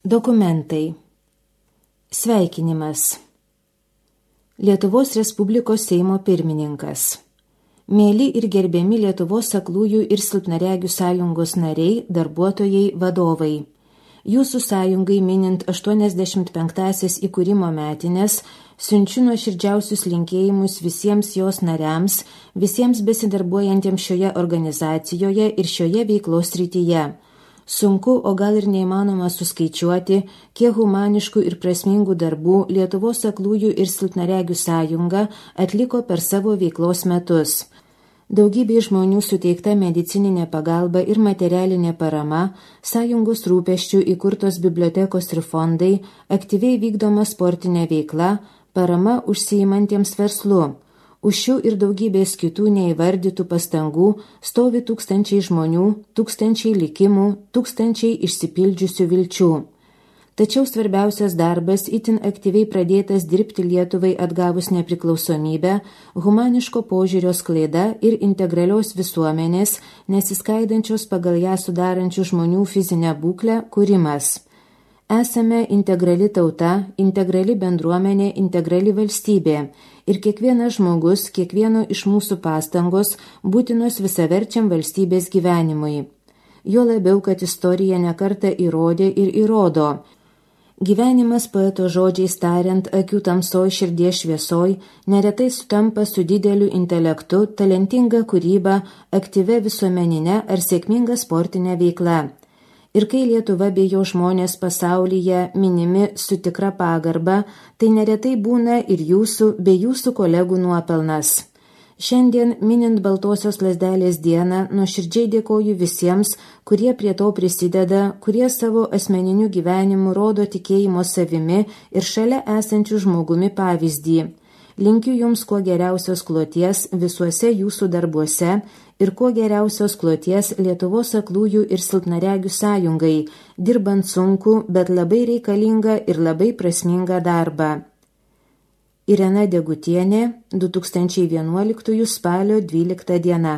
Dokumentai. Sveikinimas. Lietuvos Respublikos Seimo pirmininkas. Mėly ir gerbiami Lietuvos aklųjų ir silpnaregių sąjungos nariai, darbuotojai, vadovai. Jūsų sąjungai minint 85-asias įkūrimo metines, siunčiu nuoširdžiausius linkėjimus visiems jos nariams, visiems besidarbuojantiems šioje organizacijoje ir šioje veiklos srityje. Sunku, o gal ir neįmanoma suskaičiuoti, kiek humaniškų ir prasmingų darbų Lietuvos aklųjų ir silpnaregių sąjunga atliko per savo veiklos metus. Daugybė žmonių suteikta medicininė pagalba ir materialinė parama, sąjungos rūpesčių įkurtos bibliotekos ir fondai, aktyviai vykdoma sportinė veikla, parama užsiimantiems verslu. Už šių ir daugybės kitų neįvardytų pastangų stovi tūkstančiai žmonių, tūkstančiai likimų, tūkstančiai išsipildžiusių vilčių. Tačiau svarbiausias darbas itin aktyviai pradėtas dirbti Lietuvai atgavus nepriklausomybę, humaniško požiūrio sklaida ir integralios visuomenės, nesiskaidančios pagal ją sudarančių žmonių fizinę būklę, kūrimas. Esame integrali tauta, integrali bendruomenė, integrali valstybė ir kiekvienas žmogus, kiekvieno iš mūsų pastangos būtinos visaverčiam valstybės gyvenimui. Jo labiau, kad istorija nekartą įrodė ir įrodo. Gyvenimas poeto žodžiais tariant, akių tamsoj, širdies šviesoj, neretai sutampa su dideliu intelektu, talentinga kūryba, aktyvia visuomeninė ar sėkminga sportinė veikla. Ir kai Lietuva bei jo žmonės pasaulyje minimi su tikra pagarba, tai neretai būna ir jūsų bei jūsų kolegų nuopelnas. Šiandien, minint Baltosios lazdelės dieną, nuoširdžiai dėkoju visiems, kurie prie to prisideda, kurie savo asmeniniu gyvenimu rodo tikėjimo savimi ir šalia esančių žmogumi pavyzdį. Linkiu jums kuo geriausios kloties visuose jūsų darbuose ir kuo geriausios kloties Lietuvos aklųjų ir silpnaregių sąjungai, dirbant sunku, bet labai reikalingą ir labai prasmingą darbą. Irena Degutienė, 2011 spalio 12 diena.